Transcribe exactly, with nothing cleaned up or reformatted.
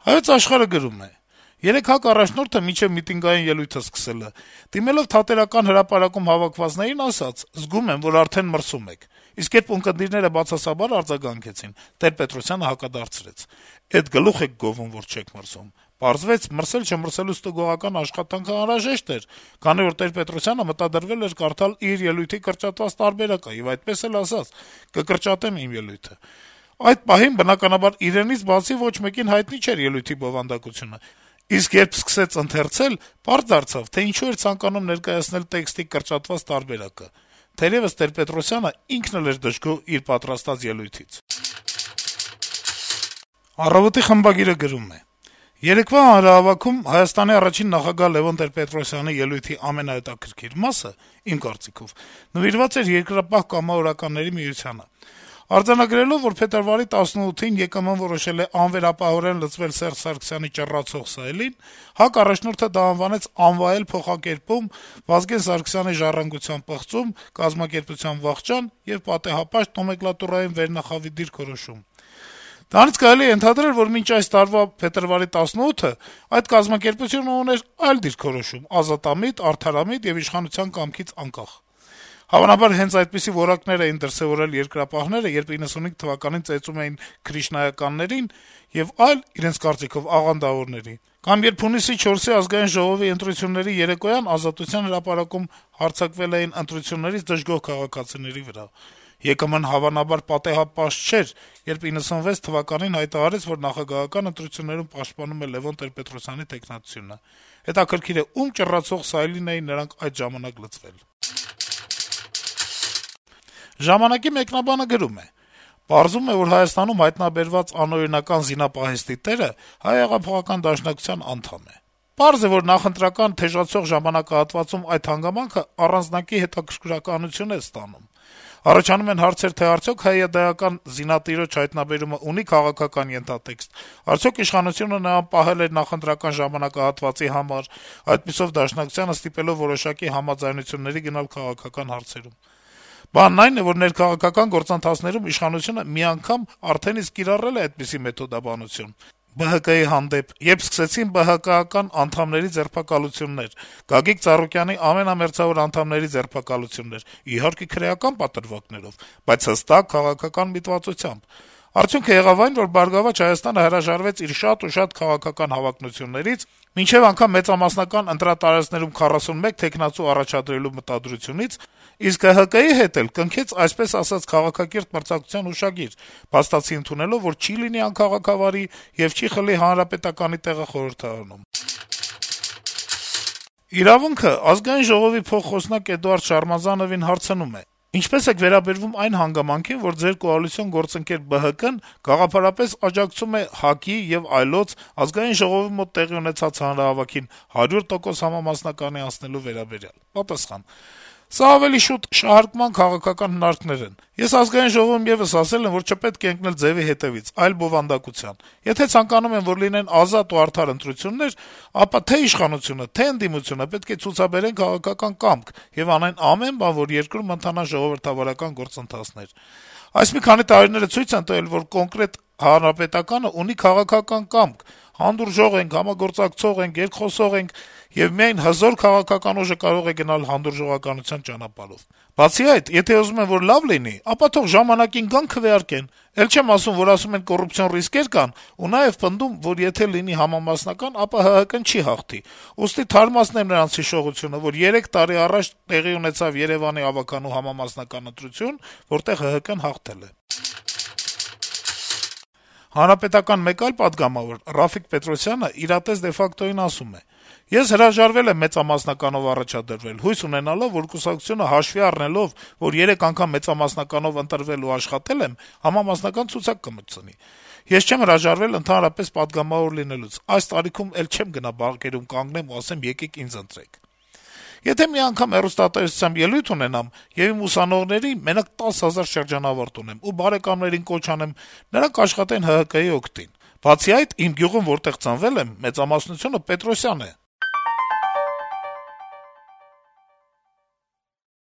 Հայոց Աշխարհը գրում է. - «Երեկ ՀԱԿ առաջնորդը մինչեւ միտինգային ելույթը սկսելը, դիմելով Թատերական հրապարակում հավաքվածներին, ասաց. «Զգում եմ, որ արդեն մրսում եք», իսկ երբ ունկնդիրները բացասաբար արձագանքեցին, Տեր-Պետրոսյանը հակադարձրեց. «Էդ գլուխ եք գովում, որ չեք մրսում»։ Պարզվեց, մրսել-չմրսելու ստուգողական աշխատանքը անհրաժեշտ էր, քանի որ Տեր-Պետրոսյանը մտադրվել էր կարդալ իր ելույթի կրճատված տարբերակը եւ այդպես էլ ասաց. «Կկրճատեմ իմ ելույթը»։ Այդ պահին, բնականաբար, իրենից բացի ոչ մեկին հայտնի չէր ելույթի բովանդակությունը, իսկ երբ սկսեց ընթերցել, պարզ դարձավ, թե ինչու էր ցանկանում ներկայացնել տեքստի կրճատված տարբերակը։ Թերեւս Տեր-Պետրոսյանը ինքն էլ էր դժգոհ իր պատրաստած ելույթից»։ «Առավոտ»-ի խմբագիրը գրում է. - «Երեկվա հանրահավաքում Հայաստանի առաջին նախագահ Լեւոն Տեր-Պետրոսյանի ելույթի ամենահետաքրքիր մասը, իմ կարծիքով, նվիրված էր Երկրապահ կամավորականների միությանը։ Արձանագրելով, որ փետրվարի տասնութին ԵԿՄ-ն որոշել է անվերապահորեն լծվել Սերժ Սարգսյանի ճռռացող սայլին, ՀԱԿ առաջնորդը դա անվանեց անվայել փոխակերպում, Վազգեն Սարգսյանի ժառանգության պղծում, կազմակերպության վախճան եւ պատեհապաշտ նոմենկլատուրային վերնախավի դիրքորոշում։ Դրանից կարելի է ենթադրել, որ մինչ այս տարվա փետրվարի տասնութը այդ կազմակերպությունը ուներ այլ դիրքորոշում՝ ազատամիտ, արդարամիտ եւ իշխանության կամքից անկախ։ Հավանաբար հենց այդպիսի որակներ էին դրսեւորել երկրապահները, երբ իննսունհինգ թվականին ծեծում էին Քրիշնայականներին եւ այլ, իրենց կարծիքով, աղանդավորների, կամ երբ հունիսի չորսի Ազգային ժողովի ընտրությունների երեկոյան Ազատության հրապարակում հարձակվել էին ընտրություններից դժգոհ քաղաքացիների վրա։ ԵԿՄ-ն հավանաբար պատեհապաշտ չէր, երբ իննսունվեց թվականին հայտարարեց, որ նախագահական ընտրություններում պաշտպանում է Լեւոն Տեր-Պետրոսյանի թեկնածությունը։ Հետաքրքիր է, ում ճռռացող սայլին էին նրանք այդ ժամանակ լծվել»։ «Ժամանակ»-ի մեկնաբանը գրում է. - «Պարզվում է, որ Հայաստանում հայտնաբերված անօրինական զինապահեստի տերը Հայ հեղափոխական դաշնակցության անդամ է։ Պարզ է, որ նախընտրական թեժացող ժամանակահատվածում այդ հանգամանքը առանձնակի հետաքրքրականություն է ստանում։ Առաջանում են հարցեր, թե արդյոք հայ-դայական զինատիրոջ հայտնաբերումը ունի քաղաքական ենթատեքստ, արդյոք իշխանությունը նրան պահել էր նախընտրական ժամանակահատվածի համար, այդպիսով Դաշնակցությանը ստիպելով որոշակի համաձայնությունների գնալ քաղաքական հարցերում։ Բանն այն է, որ ներքաղաքական գործընթացներում իշխանությունը մի անգամ արդեն իսկ կիրառել է այդպիսի մեթոդաբանություն ԲՀԿ-ի հանդեպ, երբ սկսեցին ԲՀԿ-ական անդամների ձերբակալություններ, Գագիկ Ծառուկյանի ամենամերձավոր անդամների ձերբակալություններ, իհարկե քրեական պատրվակներով, բայց հստակ քաղաքական միտվածությամբ։ Արդյունքը եղավ այն, որ «Բարգավաճ Հայաստանը» հրաժարվեց իր շատ ու շատ քաղաքական հավակնություններից, մինչեւ անգամ մեծամասնական ընտրատարածքներում քառասունմեկ թեկնածու առաջադրելու մտադրությունից, իսկ ՀՀԿ-ի հետ էլ կնքեց այսպես ասած քաղաքակիրթ մրցակցության հուշագիր, փաստացի ընդունելով, որ չի լինի անքաղաքավարի եւ չի խլի Հանրապետականի տեղը խորհրդարանում»։ «Իրավունք»-ը Ազգային ժողովի փոխխոսնակ Էդուարդ Շարմազանովին հարցնում է. - «Ինչպե՞ս եք վերաբերվում այն հանգամանքին, որ ձեր կոալիցիոն գործընկեր ԲՀԿ-ն գաղափարապես աջակցում է ՀԱԿ-ի եւ այլոց Ազգային ժողովի մոտ տեղի ունեցած հանրահավաքին հարյուր տոկոս համամասնականի անցնելու վերաբերյալ»։ Պատասխան. - «Սա ավելի շուտ շահարկման քաղաքական հնարքներ են։ Ես Ազգային ժողովում եւս ասել եմ, որ չպետք է ընկնել ձեւի հետեւից, այլ բովանդակության։ Եթե ցանկանում են, որ լինեն ազատ ու արդար ընտրություններ, ապա թե իշխանությունը, թե ընդդիմությունը պետք է ցուցաբերեն քաղաքական կամք եւ անեն ամեն բան, որ երկրում ընթանան ժողովրդավարական գործընթացներ։ Այս մի քանի տարիները ցույց են տվել, որ կոնկրետ Հանրապետականը ունի քաղաքական կամք, հանդուրժող ենք, համագործակցող ենք, երկխոսող ենք, եւ միայն հզոր քաղաքական ուժը կարող է գնալ հանդուրժողականության ճանապարհով։ Բացի այդ, եթե ուզում են, որ լավ լինի, ապա թող ժամանակին գան քվեարկեն։ Էլ չեմ ասում, որ ասում են կոռուպցիոն ռիսկեր կան, ու նաեւ պնդում, որ եթե լինի համամասնական, ապա ՀՀԿ-ն չի հաղթի։ Ուստի թարմացնեմ նրանց հիշողությունը, որ երեք տարի առաջ տեղի ունեցավ Երեւանի ավականու համամասնական ընտրություն, որտեղ ՀՀԿ-ն հաղթել է»։ Հանրապետական մեկ այլ պատգամավոր Ռաֆիկ Պետրոսյանը իրատես դե ֆակտոյին ասում է. - «Ես հրաժարվել եմ մեծամասնականով առաջադրվել, հույս ունենալով, որ կուսակցությունը հաշվի առնելով, որ երեք անգամ մեծամասնականով ընտրվել ու աշխատել եմ, համամասնական ցուցակ կմտցնի։ Ես չեմ հրաժարվել ընդհանրապես պատգամավոր լինելուց, այս տարիքում էլ չեմ գնա բանկերում կանգնեմ ու ասեմ եկեք ինձ ընտրեք։ Եթե մի անգամ հեռուստատեսությամբ ելույթ ունենամ եւ իմ ուսանողների մենակ տասը հազար շրջանավարտ ունեմ ու բարեկամներին կոչ անեմ նրանք աշխատեն ՀՀԿ-ի օգտին։ Բացի այդ, իմ գյուղում, որտեղ ծնվել եմ, մեծամասնությունը Պետրոսյան է»։